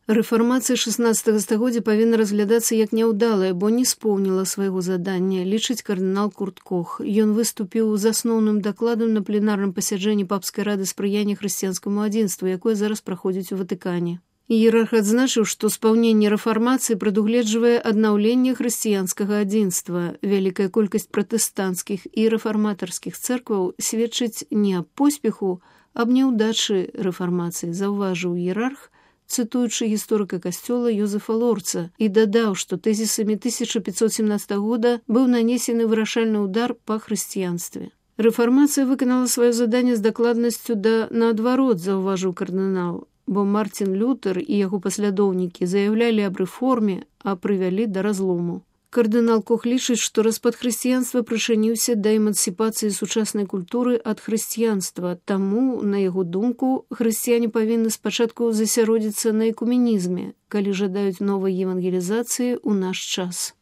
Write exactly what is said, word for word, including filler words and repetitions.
Рэфармацыя шаснаццатага стагоддзя павінна разглядацца як няўдалая, бо не споўніла свайго задання, лічыць кардынал Курт Кох. Ён выступіў з асноўным дакладам на пленарным пасяджэнні папскай рады спрыяння хрысціянскаму адзінству, якое зараз праходзіць у Ватыкане. Іерарх адзначыў, што спаўненне рэфармацыі прадугледжвае аднаўленне хрысціянскага адзінства. Вялікая колькасць пратэстанцкіх і рэфарматарскіх цэркваў сведчыць не аб поспеху, аб няўдачы рэфармацыі, заўважыў іерарх, цытуючы гісторыка касцёла Йозефа Лорца, і дадаў, што тэзісамі тысяча пятьсот семнадцатага года быў нанесены вырашальны ўдар па хрысціянстве. Рэфармацыя выканала сваё заданне з дакладнасцю да наадварот, заўважыў кардынал, бо Мартин Лютер і яго паслядоўнікі заяўлялі аб рэформе, а прывялі да разлому. Кардынал Кох лічыць, што распад хрысціянства прычыніўся да эмансіпацыі сучаснай культуры ад хрысціянства, таму, на яго думку, хрысціяне павінны спачатку засяродзіцца на экуменізме, калі жадаюць новай евангелізацыі ў наш час.